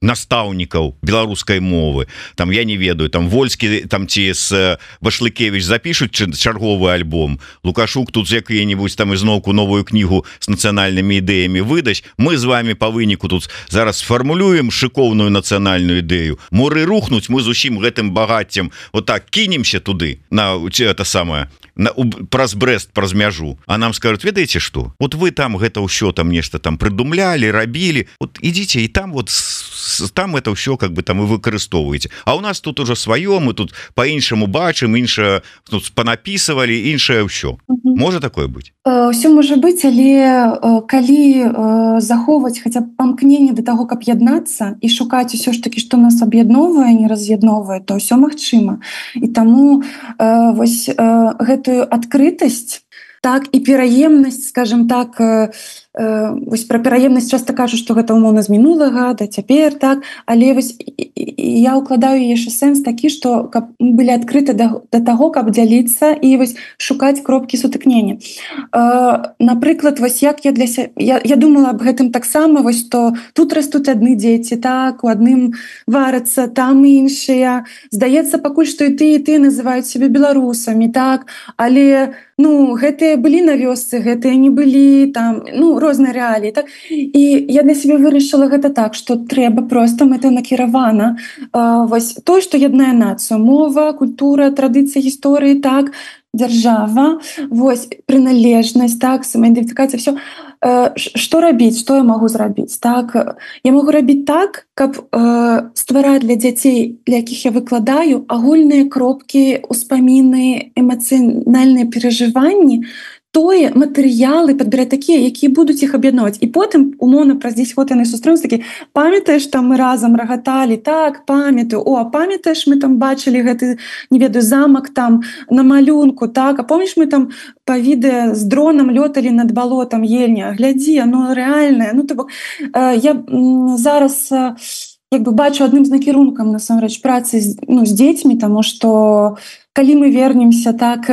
настаўнікаў беларускай мовы, там, я не ведаю, там Вольскі там ці з Башлыкевіч запішуць чарговы альбом, Лукашук тут з якія-нибудь там ізноўку новую кнігу з нацыянальнымі ідэямі выдаць, мы з вами па выніку тут зараз сфармулюем шыкоўную нацыянальную ідэю, моры рухнуць, мы з усім гэтым багаццем вот так кінемся туды, на это самае, праз Брэст, праз мяжу, а нам скажуць, ведаеце што, вот вы там гэта ўсё там нешта там прыдумлялі, рабілі, вот ідзіце і там вот там это ўсё как бы там и выкарыстоўваеце, а у нас тут уже сваё, мы тут по-іншаму бачым, іншае тут панапісывалі, іншае ўсё. Можа такое быць? Усё можа быць, але калі захоўваць хаця б памкненне да таго, каб яднацца і шукаць усё ж такі, што нас аб'ядноўвае, не раз'ядноўвае, то ўсё магчыма. І таму вось гэтую адкрытасць, так, і пераемнасць, скажем так, вось пра пераемнасць часта кажуць, што гэта умоўна з мінулага да цяпер, так, але вось я ўкладаю яшчэ сэнс такі, што каб мы былі адкрыты да таго, каб дзяліцца і вось шукаць кропкі сутыкнення. Напрыклад, вось як я думала аб гэтым таксама, вось што тут растуць адны дзеці, так, у адным варацца, там іншыя. Здаецца, пакуль што і ты называюць сябе беларусамі, так, але гэтыя былі на вёсцы, гэтыя не былі там, розныя рэаліі, так? І я для сябе вырашыла гэта так, што трэба проста мэтанакіравана вось тое, што яднае нацыю, мова, культура, традыцыі, гісторыі, так, дзяржава, вось прыналежнасць, так, самаідэнтыфікацыя, всё. Што рабіць, што я магу зрабіць, так? Я магу рабіць так, каб ствараць для дзяцей, для якіх я выкладаю, агульныя кропкі, успаміны, эмацыянальныя перажыванні, тое матэрыялы падбіраць такія, якія будуць іх аб'ядноўваць. І потым умоўна праз 10 год яны сустрэнуцца такі: памятаеш, там мы разам рагаталі, так, памятаю, о, а памятаеш, мы там бачылі гэты, не ведаю, замак там на малюнку, так, а помніш, мы там па відэа з дронам лёталі над балотам Ельня, глядзі, оно рэальнае. Ну, то бок, я зараз як бы бачу адным з накірункам насамрэч працы з дзецьмі, таму што калі мы вернемся, так,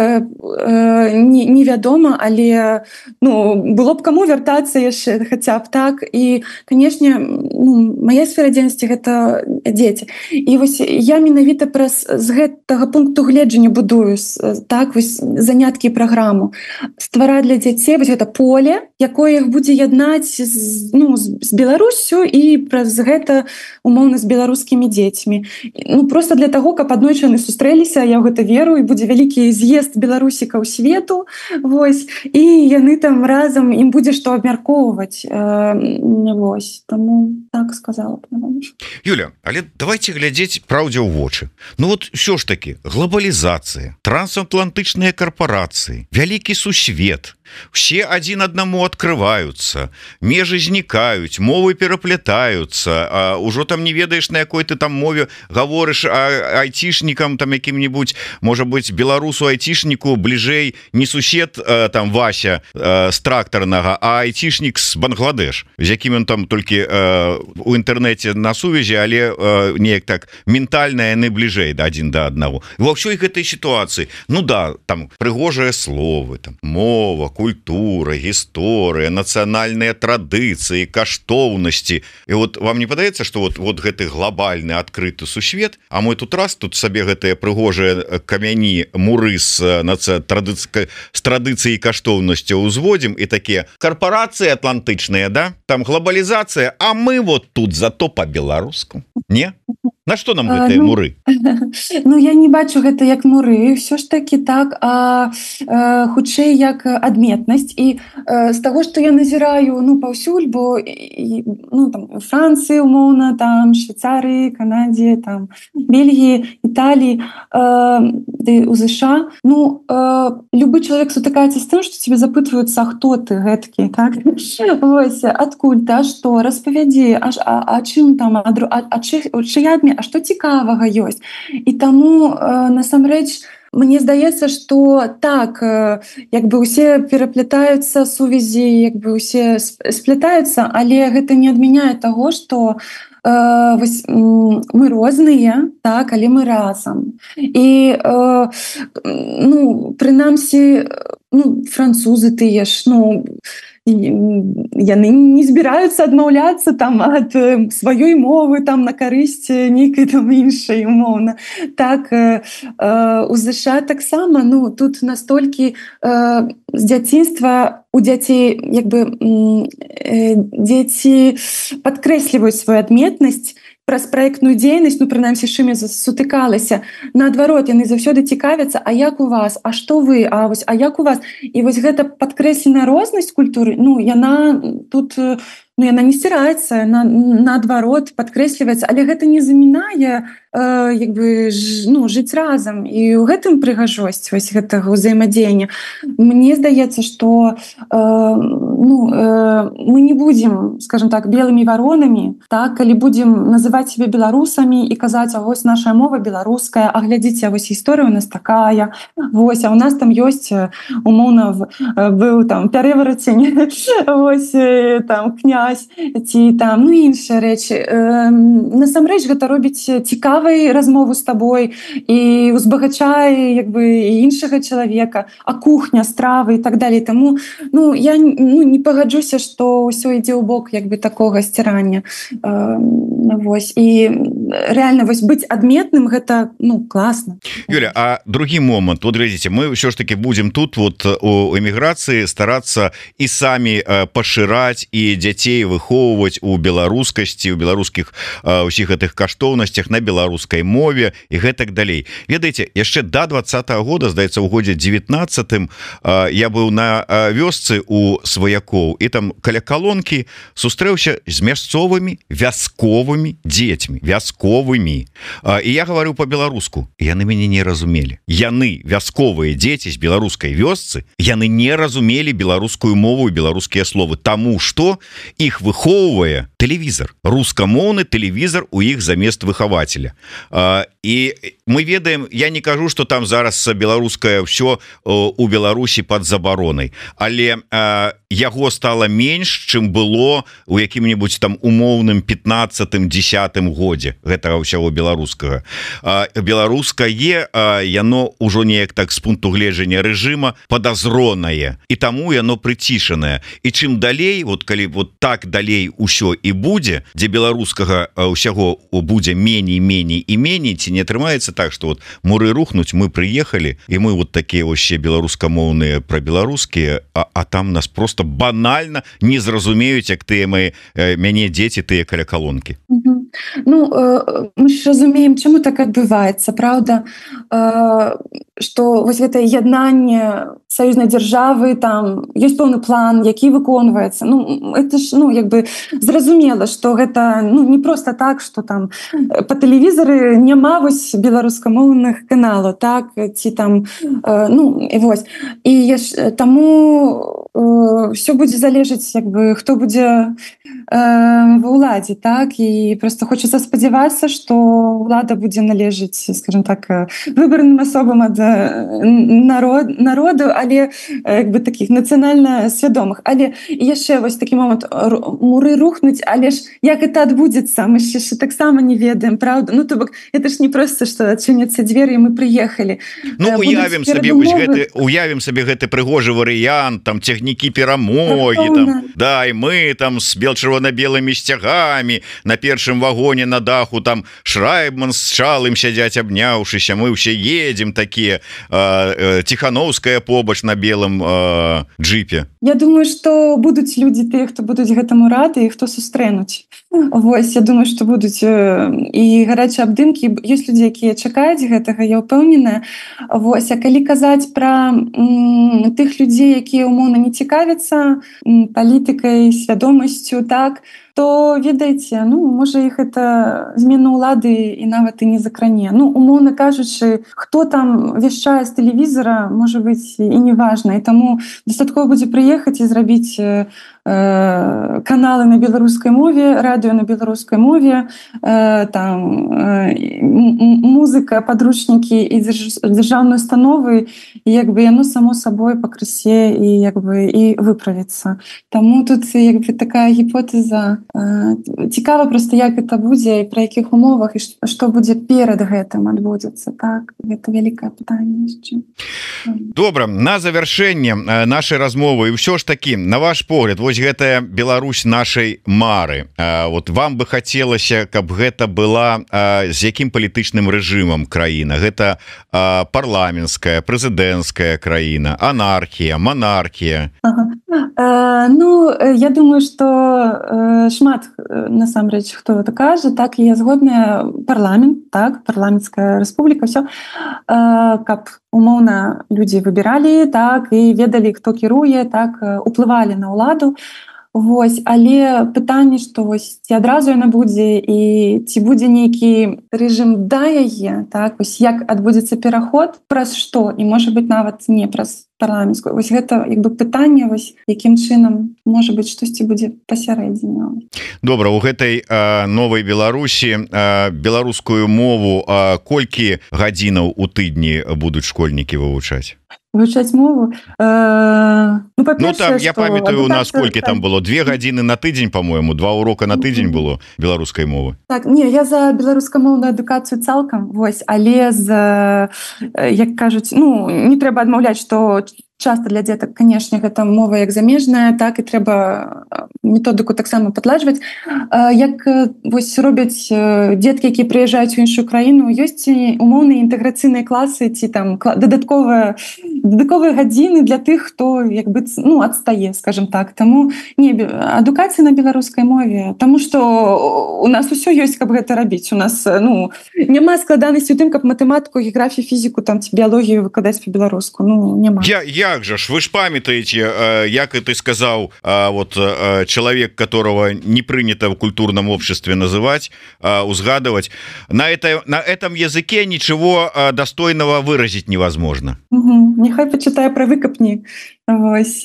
невядома, але было б каму вяртацца яшчэ хаця б, так. І, канешне, мая сфера дзейнасці — гэта дзеці. І вось я менавіта з гэтага пункту гледжання будую, так, вось заняткі і праграму. Ствараць для дзяцей вось гэта поле, якое іх будзе яднаць з Беларуссю і праз гэта умоўна з беларускімі дзецьмі. Проста для таго, каб аднойчы яны сустрэліся, я ў гэта веру, і будзе вялікі з'езд беларусікаў свету, вось, і яны там разам, ім будзе што абмяркоўваць. Вось, таму так сказала б. Юля, але давайте глядзець праўдзе ў вочы. Вот ўсё ж таки глобалізацыя, трансатлантычныя карпорацыі, вялікі сусвет, все один аднаму открываются, межы знікаюць, мовы пераплетаются, ужо там не ведаеш, на якой ты там мове гаворыш, айцішнікам там якім-нибудь, можа быть, беларусу айцішніку бліжэй не сусед там Вася з трактарнага, а айцішнік з Бангладеш, з якім ён там толькі у інтэрнэце на сувязі, але неяк так ментальна яны бліжэй адзін да аднаго. Ва ўсёй гэтай сітуацыі, там прыгожыя словы, там мова, культура, гісторыя, нацыянальныя традыцыі, каштоўнасці. І вот вам не падаецца, што вот гэты глобальны адкрыты сусвет, а мы тут сабе гэтыя прыгожыя камяні, муры з традыцыяй і каштоўнасцю ўзводзім, і такія карпорацыі атлантычныя, да? Там глобалізацыя, а мы вот тут зато по-беларуску. Не? На што нам гэтыя муры? Я не бачу гэта як муры, ўсё ж такі так, хутчэй як адметнасць. І з таго, што я назіраю паўсюль, бо там Францыі, умоўна, там Швейцарыі, Канадзе, там Бельгіі, Італіі, у ЗША, любы чалавек сутыкаецца з тым, што цябе запытваюцца: а хто ты гэткі, так? Вось, адкуль ты, а што, распавядзі, а чым там, чыя адметнасць, а што цікавага ёсць. І таму насамрэч мне здаецца, што так, як бы усе пераплятаюцца, сувязі як бы усе сплятаюцца, але гэта не адмяняе таго, што мы розныя, так, але мы разам. І прынамсі, французы тыя ж, яны не збіраюцца адмаўляцца там ад сваёй мовы там на карысць нейкай там іншай, умоўна. Так, у ЗША таксама, тут настолькі з дзяцінства у дзяцей як бы дзеці падкрэсліваюць сваю адметнасць праз праектную дзейнасць, прынамсі, з чым я сутыкалася. Наадварот, яны заўсёды цікавяцца: а як у вас, а што вы, а як у вас? І вось гэта падкрэсленая рознасць культуры, яна тут яна не сціраецца, наадварот падкрэсліваецца, але гэта не замінае як бы жыць разам. І ў гэтым прыгажосць вось гэтага ўзаемадзеяння. Мне здаецца, што мы не будзем, скажем так, белымі варонамі, так, калі будзем называць сябе беларусамі і казаць: а вось наша мова беларуская, а глядзіце, вось гісторыя у нас такая, вось, а у нас там ёсць, умоўна, быў там пярэварацень, вось там князь, ці там іншыя рэчы. Насамрэч гэта робіць цікавай размову з табой і узбагачае як бы іншага чалавека, а кухня, стравы і так далей. Таму я не пагаджуся, што ўсё ідзе ў бок як бы такога сцірання. Вось, і реально вось быць адметным — гэта класна. Юля, а другі момант, вот глядзіце, мы ўсё ж таки будзем тут вот у эміграцыі старацца і самі пашыраць і дзяцей дзяцей выхоўваць у беларускасці, у беларускіх усіх гэтых каштоўнасцях на беларускай мове і гэтак далей. Ведаеце, яшчэ до 20-го года, здаецца, у годзе 19-м я быў на вёсцы у сваякоў, і там каля калонкі сустрэўся з мясцовымі вясковымі дзецьмі, вясковымі. І я гаварыў по-беларуску. Яны мяне не разумелі. Яны, вясковыя дзеці з беларускай вёсцы, яны не разумелі беларускую мову і беларускія словы, таму што іх выхоўвае тэлевізор, рускамоўны тэлевізор у іх замест выхавацеля. І мы ведаем, я не кажу, што там зараз беларускае ўсё у Беларусі пад забаронай, але яго стала менш, чым было у якім-небудзь там умоўным 15-10 годзе гэтага ўсяго беларускага. Беларускае яно ўжо неяк так з пункту гледжання рэжыма падазронае, і таму яно прыцішанае. І чым далей, вот калі вот так далей усё і будзе, дзе беларускага ўсяго будзе меней, меней і меней, ці не атрымаецца так, што вот муры рухнуць, мы прыехалі, і мы вот такія вообще беларускамоўныя пра беларускія, а там нас просто банальна не зразумеюць, як тыя мяне дзеці, тыя каля калонкі. Ну, мы ж разумеем, чаму так адбываецца, правда, што вось гэта яднанне саюзнай дзяржавы, там ёсць пэўны план, які выконваецца. Ну, это ж, ну, як бы зразумела, што гэта, ну, не проста так, што там па тэлевізары няма вось беларускамоўных каналаў, так, ці там, ну, і вось. І таму ўсё будзе залежаць, як бы, хто будзе ва ўладзе, так, і просто хочацца спадзявацца, што ўлада будзе належыць, скажем так, выбарным асобам ад народу, але як бы такіх нацыянальна свядомых. Але яшчэ вось такі момант, муры рухнуць, але ж як это адбудзецца, мы ж яшчэ таксама не ведаем, правда? Ну, то бок, это ж не проста, што адчыняцца дзверы і мы прыехалі. Ну, уявім сабе гэты прыгожы варыянт, там цягнікі перамогі, там, да, і мы там з чырвона-белымі сцягамі на першым вагоне на даху, там Шрайбман з Чалым сядзяць абняўшыся, мы ўсе едзем такія, Ціхановская побач на белым джипе. Я думаю, што будуць людзі тыя, хто будуць гэтаму рады і хто сустрэнуць. Вось, я думаю, што будуць і гарачыя абдымкі, ёсць людзі, якія чакаюць гэтага, я ўпэўненая. Вось, а калі казаць пра тых людзей, якія умоўна не цікавяцца палітыкай, свядомасцю, так, то, ведаеце, ну, можа, іх это змена ўлады і нават і не закране. Ну, умоўна кажучы, хто там вяшчае з тэлевізара, можа быць, і не важна. І таму дастаткова будзе прыехаць і зрабіць каналы на беларускай мове, радыё на беларускай мове, там музыка, падручнікі і дзяржаўныя установы, і як бы яно само сабой пакрысе і як бы і выправіцца. Таму тут як бы такая гіпотэза. Цікава проста, як гэта будзе і пра якіх умовах і што будзе перад гэтым адбудзецца, так? Гэта вялікае пытанне яшчэ. Добра, на завяршэнне нашай размовы, і ўсё ж такі, на ваш погляд, вось гэтая Беларусь нашай мары, вот вам бы хацелася, каб гэта была з якім палітычным рэжымам краіна? Гэта парламенцкая, прэзідэнцкая краіна, анархія, монархія? Ну, я думаю, што шмат насамрэч хто это кажа, так, і я згодная, парламент, так, парламенцкая рэспубліка, ўсё, каб умоўна людзі выбіралі, так, і ведалі, хто кіруе, так, уплывалі на ўладу. Вось, але пытанне, што вось ці адразу яна будзе і ці будзе нейкі рэжым да яе, так, вось як адбудзецца пераход, праз што, і можа быць нават не праз парламенцкую. Вось гэта як бы пытанне, вось якім чынам можа быць штосьці будзе пасярэдзіне. Добра, у гэтай новай Беларусі беларускую мову колькі гадзінаў у тыдні будуць школьнікі вывучаць? Вывучаць мову? Ну там, я памятаю, у нас колькі там было? 2 гадзіны на тыдзень, по-моему, 2 урока на тыдзень было беларускай мовы. Так, не, я за беларускамоўную адукацыю цалкам, вось, але як кажуць, ну, не трэба адмаўляць, што часта для дзетак, канешне, гэта мова як замежная, так, і трэба методыку таксама падладжваць. Як вось робяць дзеткі, якія прыязджаюць у іншую краіну, ёсць умоўныя інтэграцыйныя класы ці там дадатковая дадатковыя гадзіны для тых, хто як бы ну адстае, скажем так. Таму не адукацыя на беларускай мове, Таму што у нас усё ёсць, каб гэта рабіць. У нас ну няма складанасці у тым, каб матэматыку, геаграфію, фізіку там ці біялогію выкладаць па-беларуску. Ну няма. Як жа ж вы ж памятаеце, як и ты сказаў, вот человек, которого не принято в культурном обществе называть, узгадывать, на этом языке ничего достойного выразить невозможно. Нехай почитае про выкапні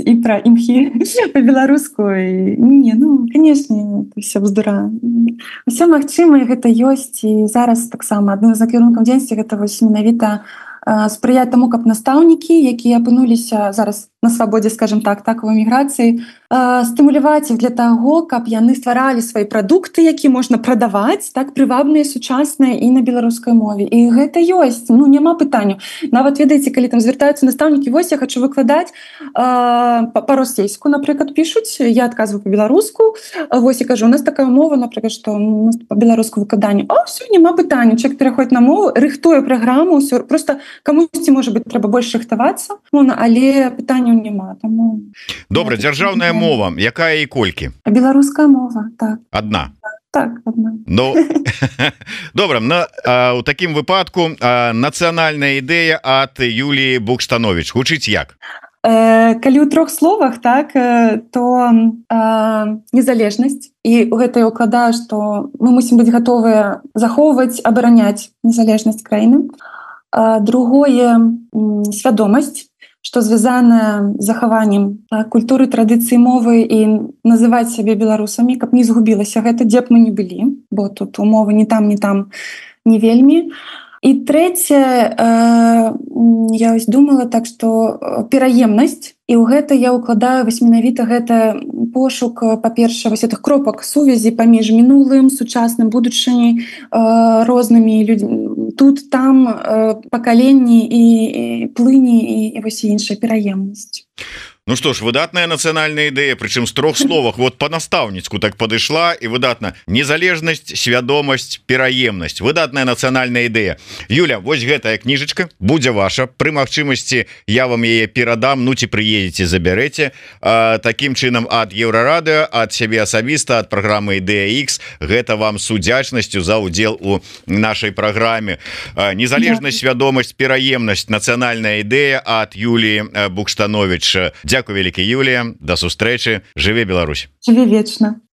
і про імхі по-беларуску. Не, ну конечно, все бздура. Усё магчыма, гэта ёсць, і зараз таксама адным з накірункаў дзейнасці гэта вось менавіта спрыяць таму, каб настаўнікі, якія апынуліся зараз на свабодзе, скажем так, у эміграцыі, стымуляваць іх для таго, каб яны стваралі свае прадукты, які можна прадаваць, так прывабныя, сучасныя і на беларускай мове. І гэта ёсць, ну няма пытанняў. Нават ведаеце, калі там звяртаюцца настаўнікі, вось я хочу выкладаць па-расейску, напрыклад, пішуць, я адказваю па-беларуску, вось я кажу, у нас такая мова, напрыклад, што у нас па-беларуску выкладанне. Всё, няма пытанняў, чалавек пераходзіць на мову, рыхтуе праграму, ўсё, просто камусьці, можа быць, трэба больш рыхтавацца, але пытанняў няма. Таму добра, дзяржаўная мова, якая і колькі? Беларуская мова, так. Адна. Так, одна. Ну, добра, у такім выпадку нацыянальная ідэя ад Юліі Букштанович гучыць як? Калі ў 3 словах, так, то незалежнасць, і ў гэта я ўкладаю, што мы мусім быць гатовыя захоўваць, абараняць незалежнасць краіны. Другое свядомасць, што звязана з захаваннем культуры, традыцыі, мовы і называць сябе беларусамі, каб не згубілася гэта, дзе б мы не былі, бо тут умовы ні там не вельмі. І трэцяе, я ось думала так, што пераемнасць, і ў гэта я ўкладаю вось менавіта гэта пошук, па-перша, вось гэтых кропак сувязі паміж мінулым, сучасным, будучыняй, рознымі людзьмі, тут, там, пакаленні і плыні і вось іншая пераемнасць. Ну что ж, выдатная нацыянальная ідэя, прычым з 3 словах, вот па-настаўніцку так падышла, і выдатна незалежнасць, свядомасць, пераемнасць, выдатная нацыянальная ідэя. Юля, вось гэтая кніжачка будзе ваша, пры магчымасці я вам яе перадам, ну ці прыедзеце, забярэце. Такім чынам ад Еўрарадыё, ад сябе асабіста, ад праграмы Ідэя X, гэта вам з удзячнасцю за ўдзел у нашай праграме. Незалежнасць, свядомасць, пераемнасць, нацыянальная ідэя ад Юліі Букштанович. Дзякуй вялікі, Юлія, да сустрэчы, жыве Беларусь. Жыве вечна.